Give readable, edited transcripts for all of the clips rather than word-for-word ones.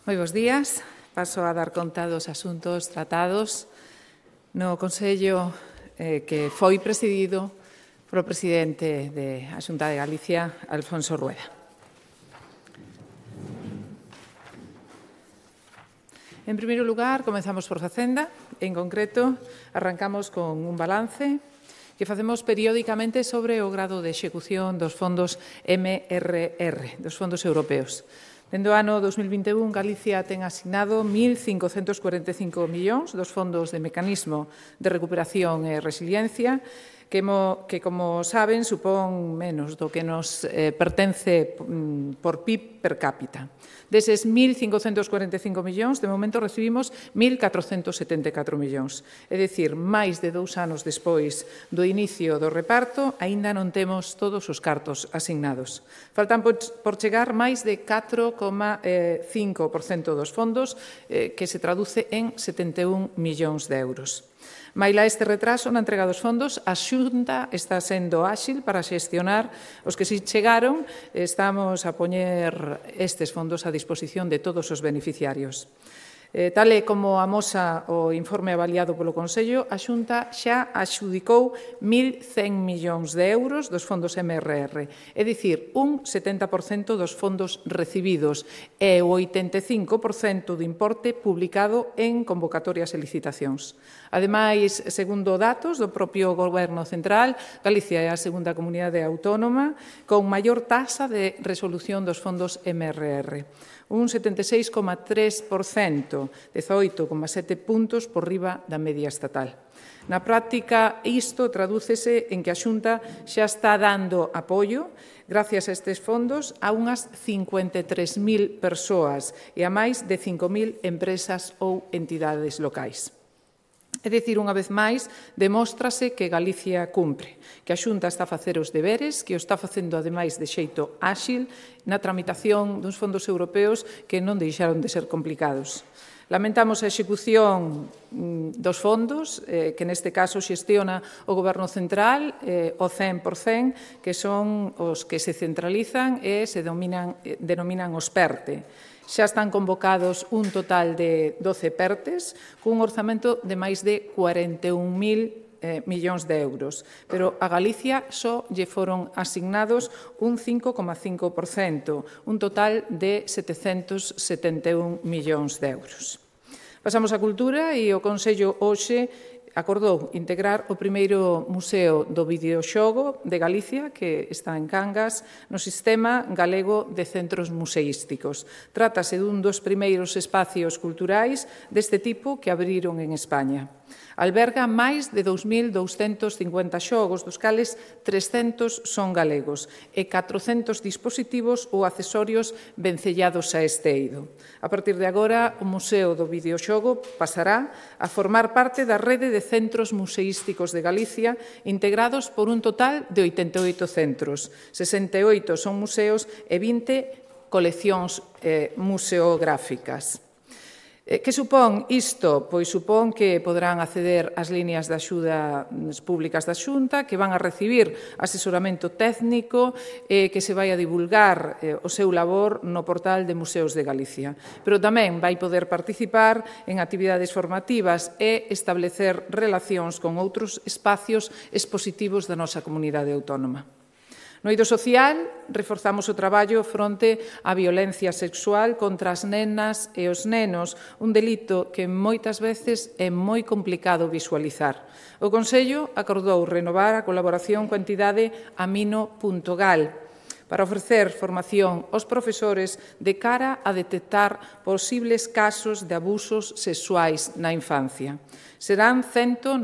Moi bons días. Paso a dar conta dos asuntos tratados no Consello que foi presidido polo presidente da Xunta de Galicia, Alfonso Rueda. En primeiro lugar, comezamos por Facenda. En concreto, arrancamos con un balance que facemos periódicamente sobre o grado de execución dos fondos MRR, dos fondos europeos. Dende o ano 2021, Galicia ten asignado 1.545 millóns dos fondos de mecanismo de recuperación e resiliencia, que, como saben, supón menos do que nos pertence por PIB per cápita. Deses 1.545 millóns, de momento recibimos 1.474 millóns. É dicir, máis de 2 anos despois do inicio do reparto, aínda non temos todos os cartos asignados. Faltan por chegar máis de 4,5% dos fondos, que se traduce en 71 millóns de euros. Maila este retraso na entrega dos fondos, a Xunta está sendo áxil para xestionar os que si chegaron. Estamos a poñer estes fondos a disposición de todos os beneficiarios. Tal e como amosa o informe avaliado polo Consello, a Xunta xa adxudicou 1.100 millóns de euros dos fondos MRR, é dicir, un 70% dos fondos recibidos e o 85% do importe publicado en convocatorias e licitacións. Ademais, segundo datos do propio Goberno Central, Galicia é a segunda comunidade autónoma con maior taxa de resolución dos fondos MRR. Un 76,3%, 18,7 puntos por riba da media estatal. Na práctica, isto tradúcese en que a Xunta xa está dando apoio, gracias a estes fondos, a unhas 53.000 persoas e a máis de 5.000 empresas ou entidades locais. É dicir, unha vez máis, demóstrase que Galicia cumpre, que a Xunta está a facer os deberes, que o está facendo, ademais, de xeito áxil na tramitación dos fondos europeos que non deixaron de ser complicados. Lamentamos a execución dos fondos, que neste caso xestiona o Goberno Central, o 100%, que son os que se centralizan e se denominan os PERTE. Xa están convocados un total de 12 PERTES, cun orzamento de máis de 41.000 millóns de euros, pero a Galicia só lle foron asignados un 5,5%, un total de 771 millóns de euros. Pasamos á cultura e o Consello hoxe acordou integrar o primeiro museo do videoxogo de Galicia, que está en Cangas, no Sistema Galego de Centros Museísticos. Trátase dun dos primeiros espacios culturais deste tipo que abriron en España. Alberga máis de 2.250 xogos, dos cales 300 son galegos, e 400 dispositivos ou accesorios vencellados a este eido. A partir de agora, o Museo do Videoxogo pasará a formar parte da rede de centros museísticos de Galicia, integrados por un total de 88 centros. 68 son museos e 20 coleccións museográficas. Que supón isto? Pois supón que poderán acceder ás líneas de axuda públicas da Xunta, que van a recibir asesoramento técnico e que se vai a divulgar o seu labor no portal de Museos de Galicia. Pero tamén vai poder participar en actividades formativas e establecer relacións con outros espacios expositivos da nosa comunidade autónoma. No eido social, reforzamos o traballo fronte á violencia sexual contra as nenas e os nenos, un delito que moitas veces é moi complicado visualizar. O Consello acordou renovar a colaboración coa entidade Amino.gal para ofrecer formación aos profesores de cara a detectar posibles casos de abusos sexuais na infancia. Serán 194.000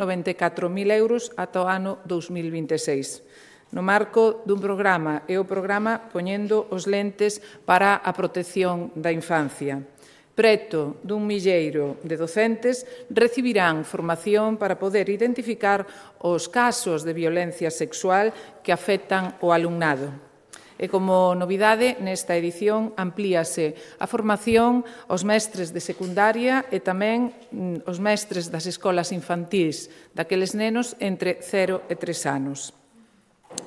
euros ata o ano 2026. No marco dun programa, e o programa Poñendo os lentes para a protección da infancia. Preto dun milleiro de docentes recibirán formación para poder identificar os casos de violencia sexual que afectan o alumnado. E como novidade, nesta edición amplíase a formación aos mestres de secundaria e tamén os mestres das escolas infantís, daqueles nenos entre 0 e 3 anos.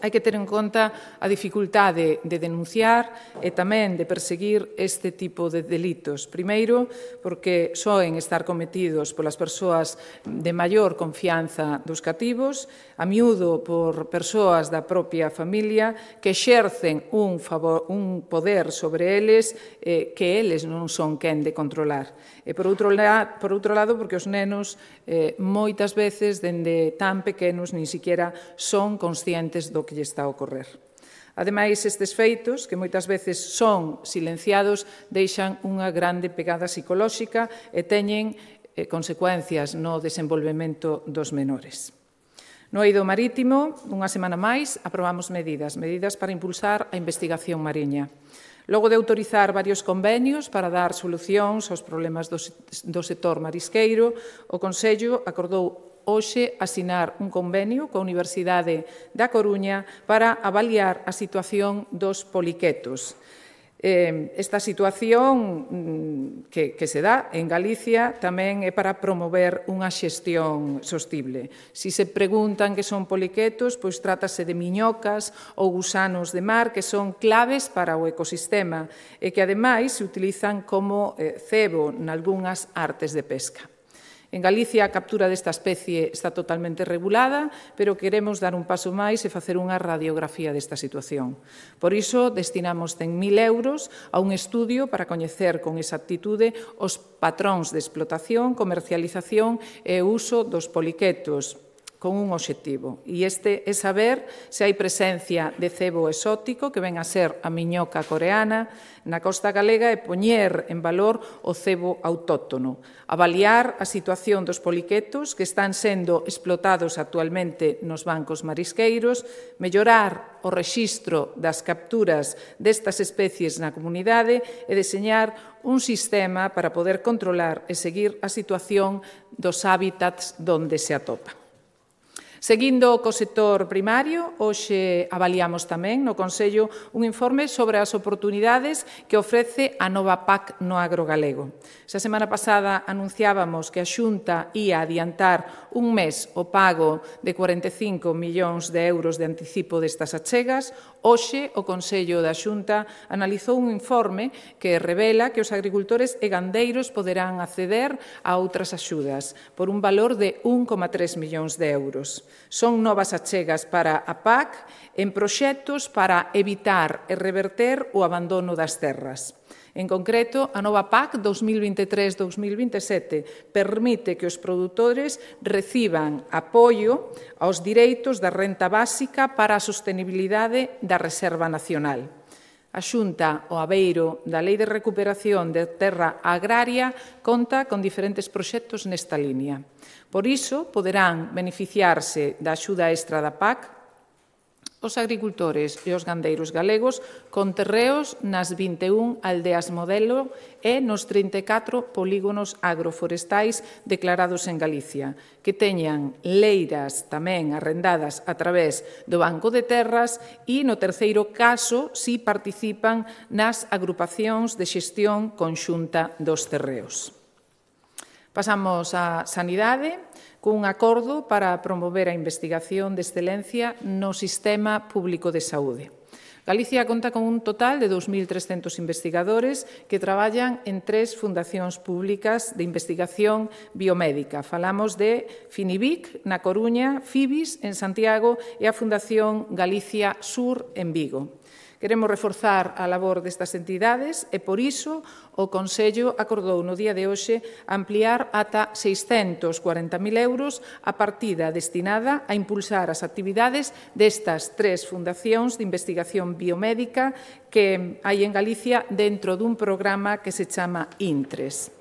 hai que ter en conta a dificultade de denunciar e tamén de perseguir este tipo de delitos. Primeiro, porque soen estar cometidos polas persoas de maior confianza dos cativos, a miúdo por persoas da propia familia que exercen un poder sobre eles que eles non son quen de controlar. E por outro lado, porque os nenos moitas veces, dende tan pequenos, nin siquiera son conscientes do que lle está a ocorrer. Ademais, estes feitos, que moitas veces son silenciados, deixan unha grande pegada psicolóxica e teñen consecuencias no desenvolvemento dos menores. No eido marítimo, unha semana máis, aprobamos medidas para impulsar a investigación mariña. Logo de autorizar varios convenios para dar solucións aos problemas do sector marisqueiro, o Consello acordou hoxe asinar un convenio coa Universidade da Coruña para avaliar a situación dos poliquetos. Esta situación que se dá en Galicia tamén é para promover unha xestión sostible. Si se preguntan que son poliquetos, pois trátase de miñocas ou gusanos de mar que son claves para o ecosistema e que ademais se utilizan como cebo nalgunhas artes de pesca. En Galicia a captura desta especie está totalmente regulada, pero queremos dar un paso máis e facer unha radiografía desta situación. Por iso, destinamos 100.000 euros a un estudio para coñecer con exactitude os patróns de explotación, comercialización e uso dos poliquetos, con un obxectivo, e este é saber se hai presencia de cebo exótico, que ven a ser a miñoca coreana, na costa galega e poñer en valor o cebo autóctono, avaliar a situación dos poliquetos que están sendo explotados actualmente nos bancos marisqueiros, mellorar o rexistro das capturas destas especies na comunidade e deseñar un sistema para poder controlar e seguir a situación dos hábitats donde se atopa. Seguindo co sector primario, hoxe avaliamos tamén no Consello un informe sobre as oportunidades que ofrece a nova PAC no agro galego. Esa semana pasada anunciábamos que a Xunta ía adiantar un mes o pago de 45 millóns de euros de anticipo destas achegas. Hoxe o Consello da Xunta analizou un informe que revela que os agricultores e gandeiros poderán acceder a outras axudas por un valor de 1,3 millóns de euros. Son novas achegas para a PAC en proxectos para evitar e reverter o abandono das terras. En concreto, a nova PAC 2023-2027 permite que os produtores reciban apoio aos direitos da renta básica para a sostenibilidade da Reserva Nacional. A Xunta, o Aveiro da Lei de Recuperación de Terra Agraria, conta con diferentes proxectos nesta línea. Por iso, poderán beneficiarse da axuda extra da PAC os agricultores e os gandeiros galegos con terreos nas 21 aldeas modelo e nos 34 polígonos agroforestais declarados en Galicia, que teñan leiras tamén arrendadas a través do Banco de Terras e, no terceiro caso, si participan nas agrupacións de xestión conxunta dos terreos. Pasamos á sanidade, cun acordo para promover a investigación de excelencia no sistema público de saúde. Galicia conta con un total de 2.300 investigadores que traballan en 3 fundacións públicas de investigación biomédica. Falamos de Finivic, na Coruña, FIBIS, en Santiago, e a Fundación Galicia Sur, en Vigo. Queremos reforzar a labor destas entidades e, por iso, o Consello acordou no día de hoxe ampliar ata 640.000 euros a partida destinada a impulsar as actividades destas 3 fundacións de investigación biomédica que hai en Galicia dentro dun programa que se chama INTRES.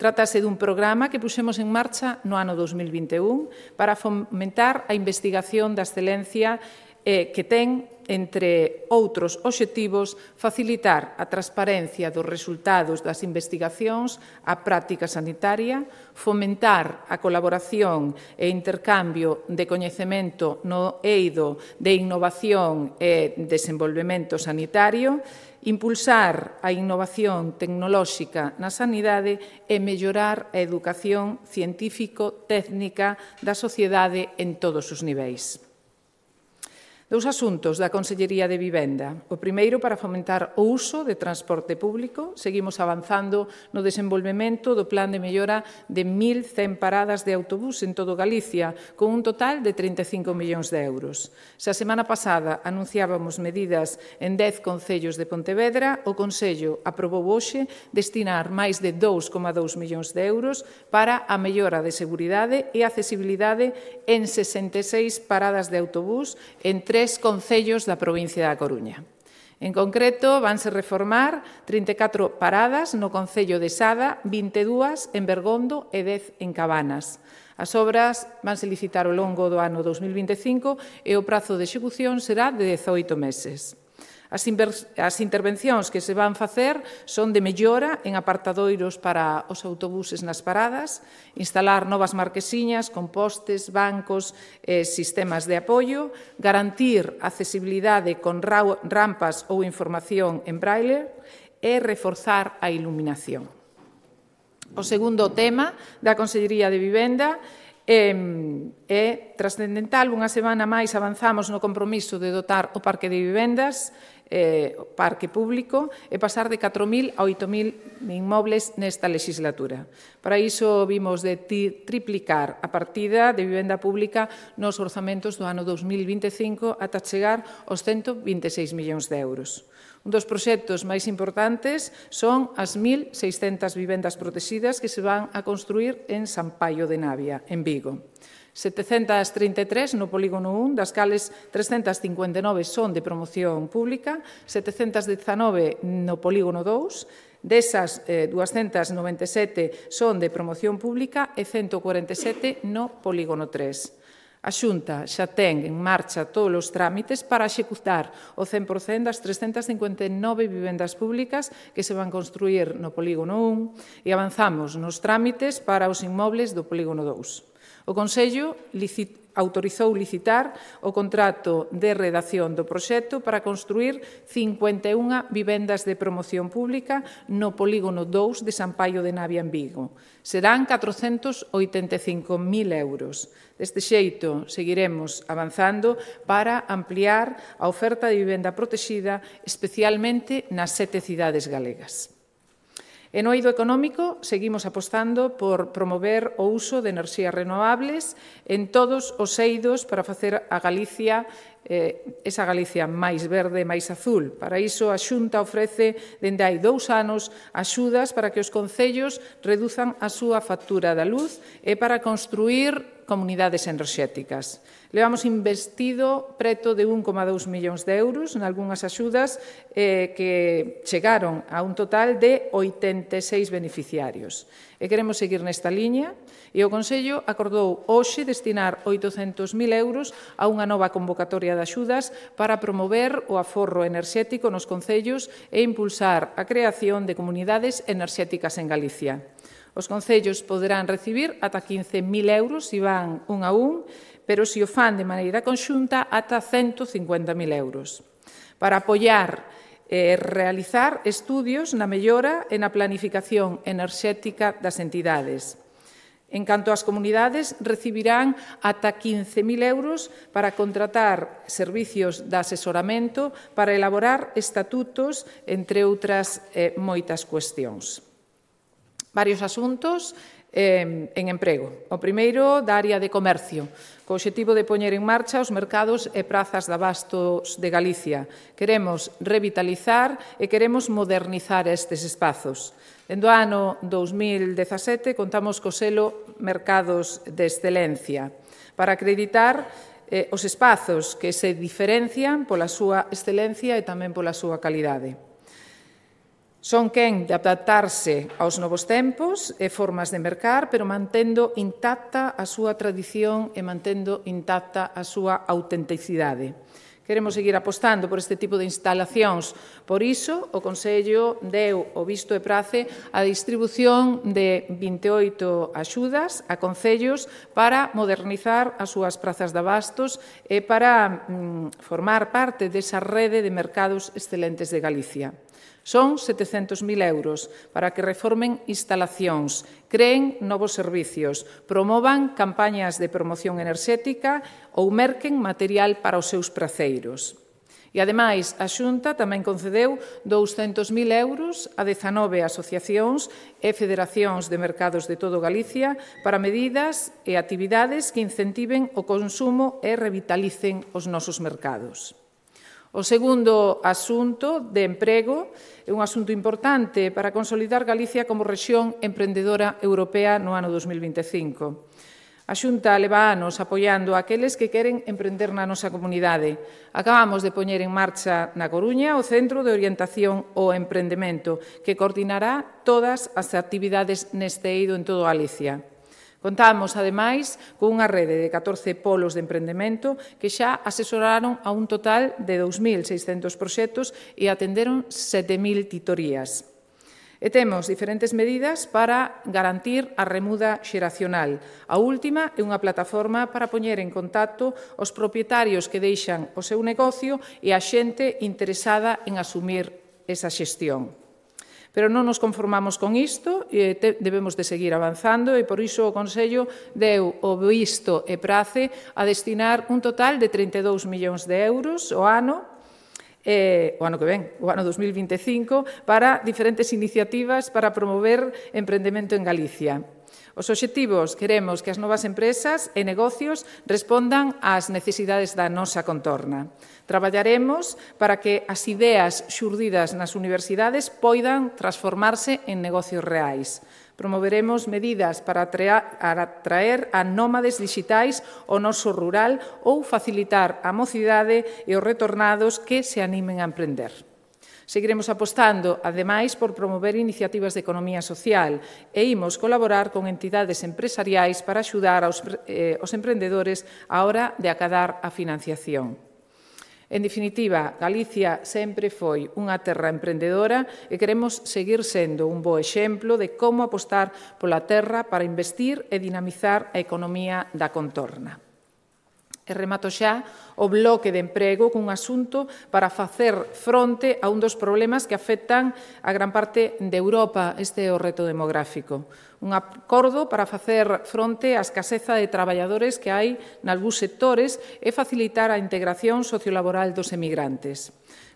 Trátase dun programa que puxemos en marcha no ano 2021 para fomentar a investigación da excelencia que ten, entre outros obxectivos, facilitar a transparencia dos resultados das investigacións á práctica sanitaria, fomentar a colaboración e intercambio de coñecemento no eido de innovación e desenvolvemento sanitario, impulsar a innovación tecnolóxica na sanidade e mellorar a educación científico-técnica da sociedade en todos os niveis. Dous asuntos da Consellería de Vivenda. O primeiro, para fomentar o uso de transporte público. Seguimos avanzando no desenvolvemento do plan de mellora de 1.100 paradas de autobús en todo Galicia, con un total de 35 millóns de euros. Se a semana pasada anunciábamos medidas en 10 concellos de Pontevedra, o Consello aprobou hoxe destinar máis de 2,2 millóns de euros para a mellora de seguridade e accesibilidade en 66 paradas de autobús en 3 concellos da provincia da Coruña. En concreto, vanse reformar 34 paradas no concello de Sada, 22 en Bergondo e 10 en Cabanas. As obras vanse licitar ao longo do ano 2025 e o prazo de execución será de 18 meses. As intervencións que se van facer son de mellora en apartadoiros para os autobuses nas paradas, instalar novas marquesiñas con postes, bancos e sistemas de apoio, garantir accesibilidade con rampas ou información en braille e reforzar a iluminación. O segundo tema da Consellería de Vivenda é trascendental. Unha semana máis avanzamos no compromiso de dotar o parque de vivendas, o parque público, e pasar de 4.000 a 8.000 inmobles nesta legislatura. Para iso vimos de triplicar a partida de vivenda pública nos orzamentos do ano 2025 ata chegar aos 126 millóns de euros. Un dos proxectos máis importantes son as 1.600 vivendas protegidas que se van a construir en San Paio de Navia, en Vigo. 733 no polígono 1, das cales 359 son de promoción pública, 719 no polígono 2, desas 297 son de promoción pública e 147 no polígono 3. A Xunta xa ten en marcha todos os trámites para executar o 100% das 359 vivendas públicas que se van construir no polígono 1 e avanzamos nos trámites para os inmobles do polígono 2. O Consello autorizou licitar o contrato de redacción do proxecto para construir 51 vivendas de promoción pública no polígono 2 de San Paio de Navia en Vigo. Serán 485.000 euros. Deste xeito, seguiremos avanzando para ampliar a oferta de vivenda protexida, especialmente nas 7 cidades galegas. E no eido económico, seguimos apostando por promover o uso de enerxías renovables en todos os eidos para facer a Galicia esa Galicia máis verde, máis azul. Para iso, a Xunta ofrece, dende hai 2 anos, axudas para que os concellos reduzan a súa factura da luz e para construir comunidades enerxéticas. Levamos investido preto de 1,2 millóns de euros en algunhas axudas que chegaron a un total de 86 beneficiarios. E queremos seguir nesta liña e o Consello acordou hoxe destinar 800.000 euros a unha nova convocatoria de axudas para promover o aforro enerxético nos concellos e impulsar a creación de comunidades enerxéticas en Galicia. Os concellos poderán recibir ata 15.000 euros se van un a un, pero se o fan de maneira conxunta ata 150.000 euros. Para apoiar e realizar estudios na mellora e na planificación enerxética das entidades. En canto ás comunidades, recibirán ata 15.000 euros para contratar servicios de asesoramento para elaborar estatutos, entre outras moitas cuestións. Varios asuntos en emprego. O primeiro, da área de comercio, co obxectivo de poñer en marcha os mercados e prazas de abastos de Galicia. Queremos revitalizar e queremos modernizar estes espazos. Dende o ano 2017 contamos co selo Mercados de Excelencia para acreditar os espazos que se diferencian pola súa excelencia e tamén pola súa calidade. Son quen de adaptarse aos novos tempos e formas de mercar, pero mantendo intacta a súa tradición e mantendo intacta a súa autenticidade. Queremos seguir apostando por este tipo de instalacións. Por iso, o Consello deu o visto e prace a distribución de 28 axudas a concellos para modernizar as súas prazas de abastos e para formar parte desa rede de mercados excelentes de Galicia. Son 700.000 euros para que reformen instalacións, creen novos servicios, promovan campañas de promoción enerxética ou merquen material para os seus praceiros. E, ademais, a Xunta tamén concedeu 200.000 euros a 19 asociacións e federacións de mercados de todo Galicia para medidas e actividades que incentiven o consumo e revitalicen os nosos mercados. O segundo asunto de emprego é un asunto importante para consolidar Galicia como rexión emprendedora europea no ano 2025. A Xunta leva anos apoiando aqueles que queren emprender na nosa comunidade. Acabamos de poñer en marcha na Coruña o Centro de Orientación ao Emprendemento, que coordinará todas as actividades neste eido en todo Galicia. Contamos, ademais, con unha rede de 14 polos de emprendemento que xa asesoraron a un total de 2.600 proxectos e atenderon 7.000 titorías. E temos diferentes medidas para garantir a remuda xeracional. A última é unha plataforma para poñer en contacto os propietarios que deixan o seu negocio e a xente interesada en asumir esa xestión. Pero non nos conformamos con isto, debemos de seguir avanzando e por iso o Consello deu o visto e prace a destinar un total de 32 millóns de euros o ano que ven, o ano 2025, para diferentes iniciativas para promover emprendemento en Galicia. Os obxectivos: queremos que as novas empresas e negocios respondan ás necesidades da nosa contorna. Traballaremos para que as ideas xurdidas nas universidades poidan transformarse en negocios reais. Promoveremos medidas para atraer a nómades digitais ao noso rural ou facilitar a mocidade e os retornados que se animen a emprender. Seguiremos apostando, ademais, por promover iniciativas de economía social e imos colaborar con entidades empresariais para axudar aos emprendedores á hora de acadar a financiación. En definitiva, Galicia sempre foi unha terra emprendedora e queremos seguir sendo un bo exemplo de como apostar pola terra para investir e dinamizar a economía da contorna. E remato xa o bloque de emprego cun asunto para facer fronte a un dos problemas que afectan a gran parte de Europa. Este é o reto demográfico. Un acordo para facer fronte á escaseza de traballadores que hai nalgúns sectores e facilitar a integración sociolaboral dos emigrantes.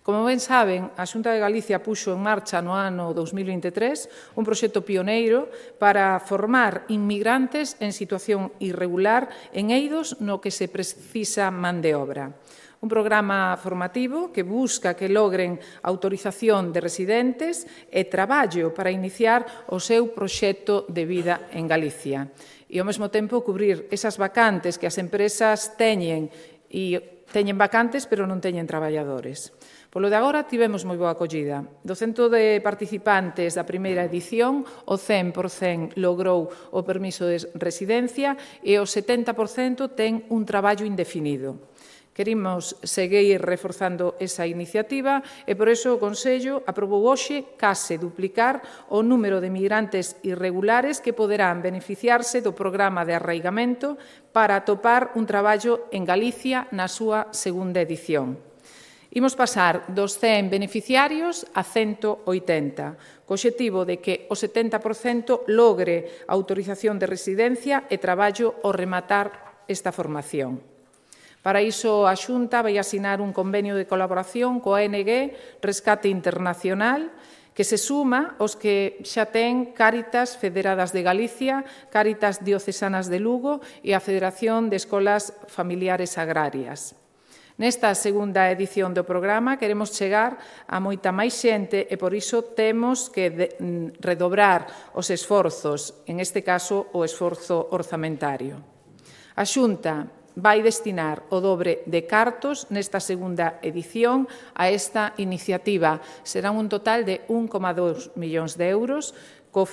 Como ben saben, a Xunta de Galicia puxo en marcha no ano 2023 un proxecto pioneiro para formar inmigrantes en situación irregular en eidos no que se precisa man de obra. Un programa formativo que busca que logren autorización de residentes e traballo para iniciar o seu proxecto de vida en Galicia. E, ao mesmo tempo, cubrir esas vacantes que as empresas teñen vacantes, pero non teñen traballadores. Polo de agora, tivemos moi boa acollida. Do cento de participantes da primeira edición, o 100% logrou o permiso de residencia e o 70% ten un traballo indefinido. Queremos seguir reforzando esa iniciativa e, por iso, o Consello aprobou hoxe case duplicar o número de migrantes irregulares que poderán beneficiarse do programa de arraigamento para atopar un traballo en Galicia na súa segunda edición. Imos pasar dos 100 beneficiarios a 180, co obxectivo de que o 70% logre a autorización de residencia e traballo ao rematar esta formación. Para iso, a Xunta vai asinar un convenio de colaboración coa ONG Rescate Internacional, que se suma aos que xa ten Cáritas Federadas de Galicia, Cáritas Diocesanas de Lugo e a Federación de Escolas Familiares Agrarias. Nesta segunda edición do programa queremos chegar a moita máis xente e por iso temos que redobrar os esforzos, en este caso o esforzo orzamentario. A Xunta vai destinar o dobre de cartos nesta segunda edición a esta iniciativa. Serán un total de 1,2 millóns de euros, co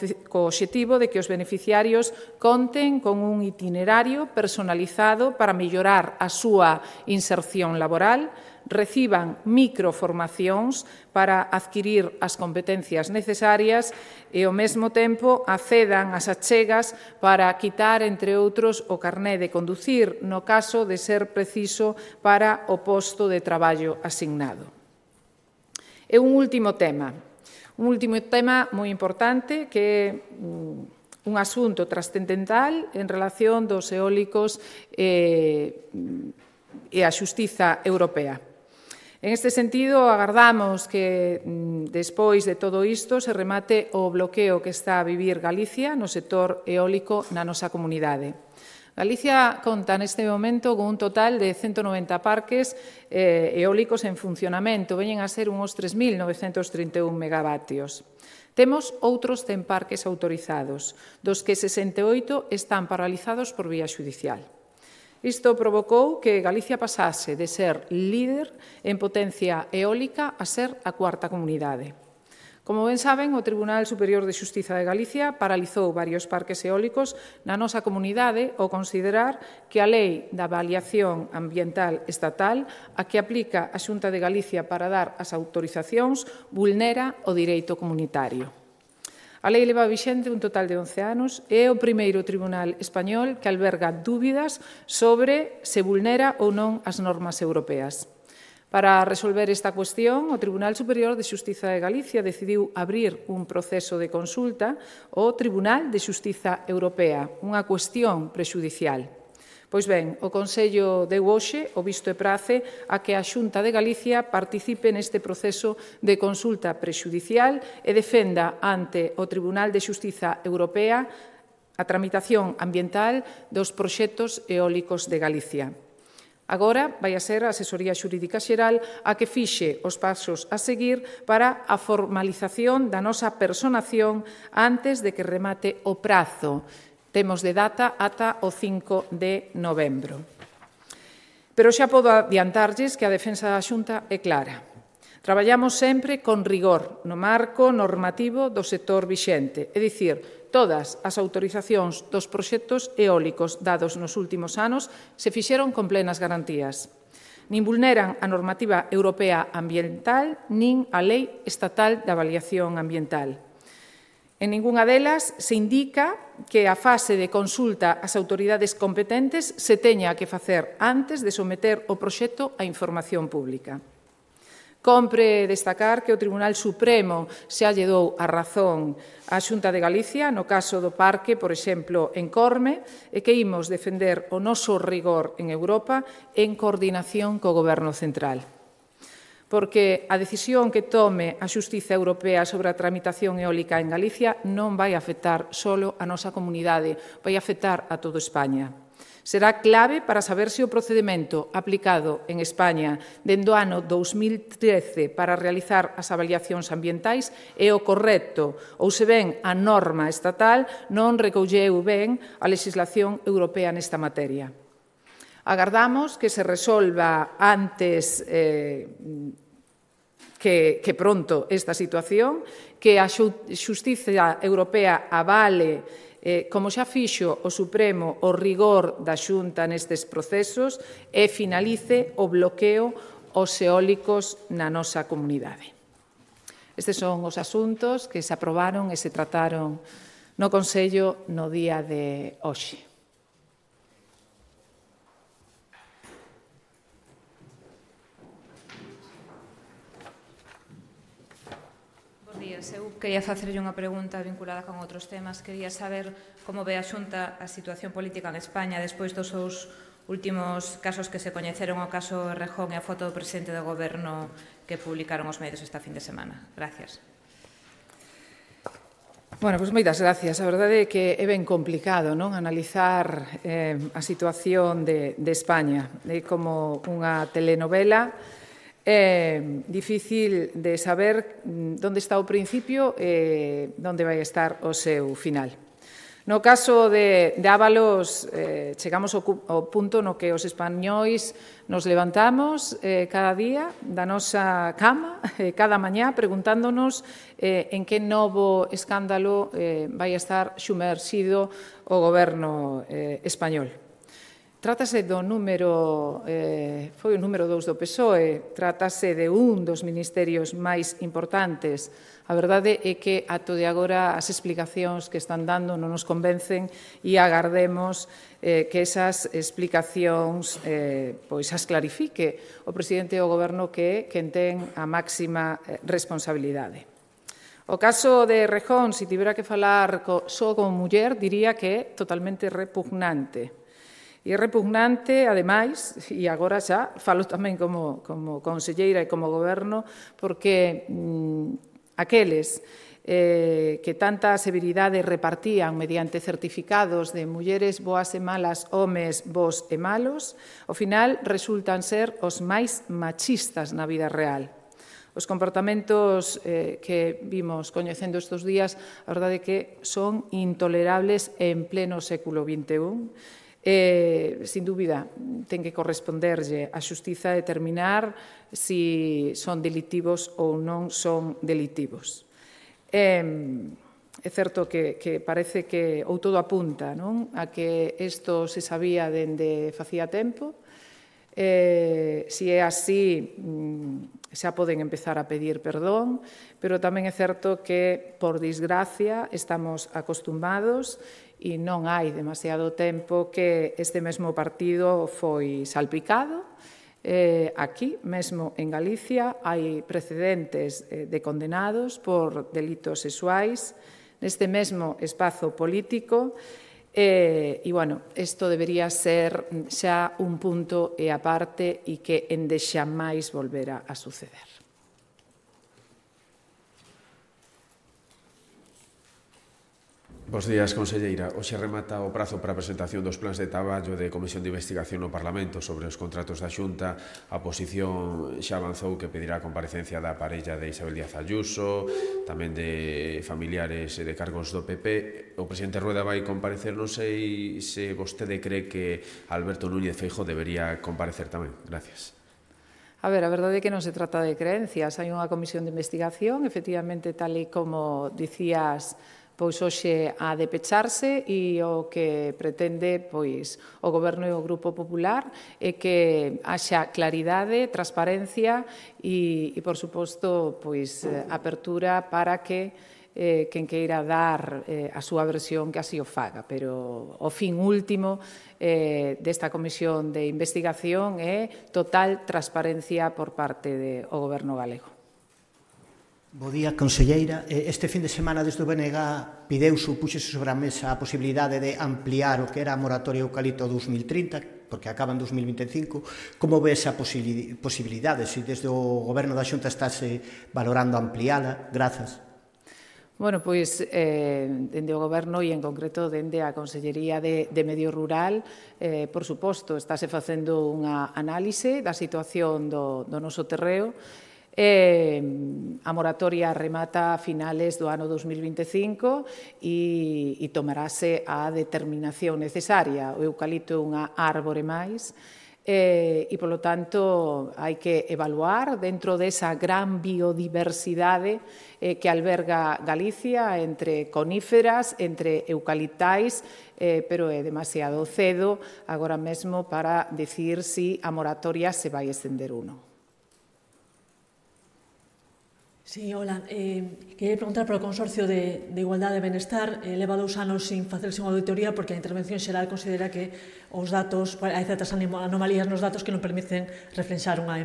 obxectivo de que os beneficiarios conten con un itinerario personalizado para mellorar a súa inserción laboral, reciban microformacións para adquirir as competencias necesarias e, ao mesmo tempo, accedan ás achegas para quitar, entre outros, o carné de conducir no caso de ser preciso para o posto de traballo asignado. E un último tema moi importante que é un asunto trascendental en relación dos eólicos e a xustiza europea. En este sentido, agardamos que, despois de todo isto, se remate o bloqueo que está a vivir Galicia no sector eólico na nosa comunidade. Galicia conta neste momento con un total de 190 parques eólicos en funcionamento, veñen a ser uns 3.931 megavatios. Temos outros 100 parques autorizados, dos que 68 están paralizados por vía xudicial. Isto provocou que Galicia pasase de ser líder en potencia eólica a ser a cuarta comunidade. Como ben saben, o Tribunal Superior de Xustiza de Galicia paralizou varios parques eólicos na nosa comunidade ao considerar que a Lei da Avaliación Ambiental Estatal, a que aplica a Xunta de Galicia para dar as autorizacións, vulnera o direito comunitario. A lei leva vixente un total de 11 anos e é o primeiro tribunal español que alberga dúbidas sobre se vulnera ou non as normas europeas. Para resolver esta cuestión, o Tribunal Superior de Xustiza de Galicia decidiu abrir un proceso de consulta ao Tribunal de Xustiza Europea, unha cuestión prexudicial. Pois ben, o Consello deu hoxe o visto e prace a que a Xunta de Galicia participe neste proceso de consulta prexudicial e defenda ante o Tribunal de Xustiza Europea a tramitación ambiental dos proxectos eólicos de Galicia. Agora vai a ser a Asesoría Xurídica Xeral a que fixe os pasos a seguir para a formalización da nosa personación antes de que remate o prazo. Temos de data ata o 5 de novembro. Pero xa podo adiantarlles que a defensa da Xunta é clara. Traballamos sempre con rigor no marco normativo do sector vixente, é dicir, todas as autorizacións dos proxectos eólicos dados nos últimos anos se fixeron con plenas garantías. Nin vulneran a normativa europea ambiental nin a Lei Estatal de Avaliación Ambiental. En ningunha delas se indica que a fase de consulta ás autoridades competentes se teña que facer antes de someter o proxecto á información pública. Compre destacar que o Tribunal Supremo xa lle dou a razón á Xunta de Galicia no caso do parque, por exemplo, en Corme, e que imos defender o noso rigor en Europa en coordinación co Goberno central. Porque a decisión que tome a Xustiza Europea sobre a tramitación eólica en Galicia non vai afectar só a nosa comunidade, vai afectar a toda España. Será clave para saber se o procedimento aplicado en España dende o ano 2013 para realizar as avaliacións ambientais é o correcto ou se ben a norma estatal non recolleu ben a legislación europea nesta materia. Agardamos que se resolva antes que pronto esta situación, que a Xustiza Europea avale, como xa fixo o Supremo, o rigor da Xunta nestes procesos e finalice o bloqueo aos eólicos na nosa comunidade. Estes son os asuntos que se aprobaron e se trataron no Consello no día de hoxe. Eu quería facerlle unha pregunta vinculada con outros temas. Quería saber como ve a Xunta a situación política en España despois dos seus últimos casos que se coñeceron, o caso Errejón e a foto do presidente do Goberno que publicaron os medios esta fin de semana. Gracias. Bueno, pois moitas gracias. A verdade é que é ben complicado, non, analizar a situación de España. É como unha telenovela. É difícil de saber onde está o principio e onde vai estar o seu final. No caso de Ábalos, chegamos ao punto no que os españois nos levantamos cada día da nosa cama, cada mañá, preguntándonos en que novo escándalo vai estar xumerxido o goberno español. Trátase do número, foi o número 2 do PSOE, trátase de un dos ministerios máis importantes. A verdade é que, ato de agora, as explicacións que están dando non nos convencen e agardemos que esas explicacións pois as clarifique o presidente do Goberno, que é quen ten a máxima responsabilidade. O caso de Rejón, se tivera que falar só como muller, diría que é totalmente repugnante. E é repugnante, ademais, e agora xa falo tamén como conselleira e como goberno, porque aqueles que tanta severidade repartían mediante certificados de mulleres boas e malas, homes bos e malos, ao final resultan ser os máis machistas na vida real. Os comportamentos que vimos coñecendo estes días, a verdade é que son intolerables en pleno século XXI. Sin dúbida, ten que corresponderlle a xustiza determinar se son delitivos ou non son delitivos. É certo que parece que, ou todo apunta, non, a que isto se sabía dende facía tempo. Se é así, xa poden empezar a pedir perdón, pero tamén é certo que, por desgracia, estamos acostumados e non hai demasiado tempo que este mesmo partido foi salpicado. Aquí, mesmo en Galicia, hai precedentes de condenados por delitos sexuais neste mesmo espazo político. E, bueno, isto debería ser xa un punto e aparte e que endexamais volvera a suceder. Bos días, conselleira. Hoxe remata o prazo para a presentación dos plans de traballo de Comisión de Investigación no Parlamento sobre os contratos da Xunta. A oposición xa avanzou que pedirá a comparecencia da parella de Isabel Díaz Ayuso, tamén de familiares e de cargos do PP. O presidente Rueda vai comparecer, non sei se vostede cree que Alberto Núñez Feijóo debería comparecer tamén. Gracias. A ver, a verdade é que non se trata de creencias. Hai unha comisión de investigación, efectivamente, tal e como dicías, pois hoxe a de pecharse, e o que pretende pois o Goberno e o Grupo Popular é que haxa claridade, transparencia e por suposto, pois apertura para que quen queira dar a súa versión que así o faga, pero o fin último desta comisión de investigación é total transparencia por parte do Goberno galego. Bo día, conselleira. Este fin de semana desde o BNG púxese sobre a mesa a posibilidade de ampliar o que era a moratoria eucalipto 2030, porque acaba en 2025. Como ve esa posibilidade? Se desde o Goberno da Xunta estáse valorando ampliala? Grazas. Bueno, pois, dende o Goberno e en concreto dende a Consellería de Medio Rural, por suposto, estáse facendo unha análise da situación do noso terreo. A moratoria remata a finales do ano 2025 e tomarase a determinación necesaria. O eucalipto é unha árbore máis e, polo tanto, hai que evaluar dentro desa gran biodiversidade que alberga Galicia entre coníferas, entre eucaliptais, pero é demasiado cedo agora mesmo para dicir se a moratoria se vai estender ou non. Sí, hola. Quería preguntar polo Consorcio de Igualdade e Benestar. Leva 2 anos sin facerse unha auditoría porque a Intervención Xeral considera que os datos, hai certas anomalías nos datos que non permiten reflexar unha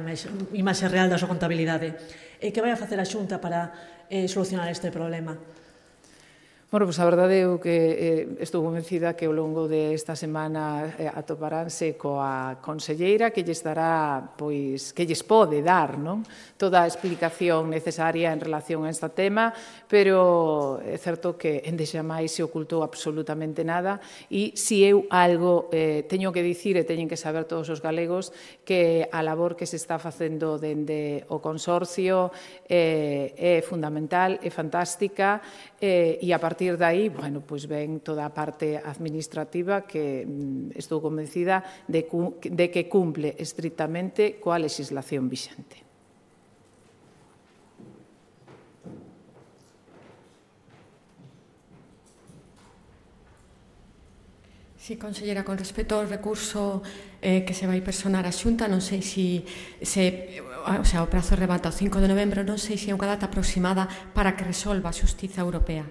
imaxe real da súa contabilidade. Que vai a facer a Xunta para solucionar este problema? Bueno, pois a verdade é que estou convencida que ao longo desta semana atoparánse coa conselleira que lles dará, pois, que lles pode dar, non? Toda a explicación necesaria en relación a este tema, pero é certo que endexamais se ocultou absolutamente nada e se eu algo teño que dicir e teñen que saber todos os galegos que a labor que se está facendo dende o Consorcio é fundamental, é fantástica e a partir de aí, bueno, pois ven toda a parte administrativa que estou convencida de que cumple estrictamente coa legislación vixente. Sí, conselleira, con respecto ao recurso que se vai personar a Xunta, non sei o prazo remata o 5 de novembro, non sei se é unha data aproximada para que resolva a Xustiza Europea.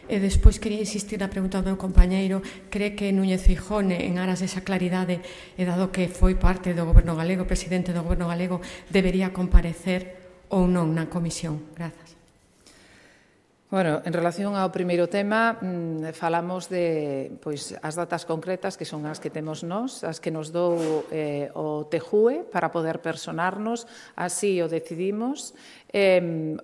E despois quería insistir na pregunta do meu compañeiro, cree que Núñez Feijóo, en aras desa claridade, e dado que foi parte do Goberno galego, presidente do Goberno galego, debería comparecer ou non na comisión? Grazas. Bueno, en relación ao primeiro tema, falamos de as datas concretas que son as que temos nós, as que nos dou o TJUE para poder personarnos, así o decidimos.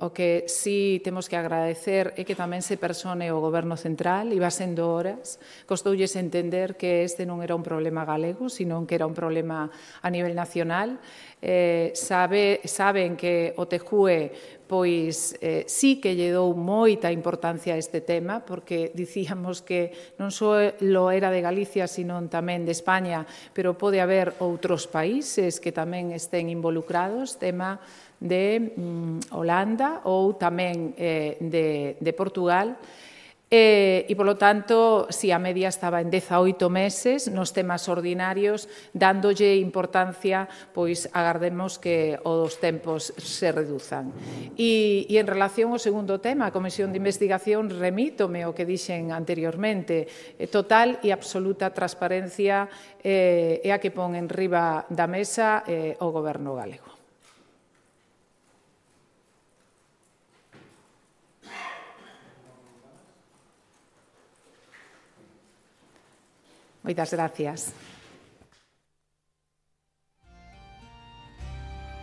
O que sí temos que agradecer é que tamén se persone o Goberno Central, iba sendo horas, costoulles entender que este non era un problema galego, sino que era un problema a nivel nacional. Saben que o TJUE sí que lle dou moita importancia a este tema, porque dicíamos que non só lo era de Galicia, sino tamén de España, pero pode haber outros países que tamén estén involucrados, tema de Holanda ou tamén de Portugal. E, polo tanto, si a media estaba en 18 meses, nos temas ordinarios, dándolle importancia, pois agardemos que os tempos se reduzan. E en relación ao segundo tema, a Comisión de Investigación, remítome o que dixen anteriormente, total e absoluta transparencia é a que pon en riba da mesa o Goberno galego. Moitas gracias.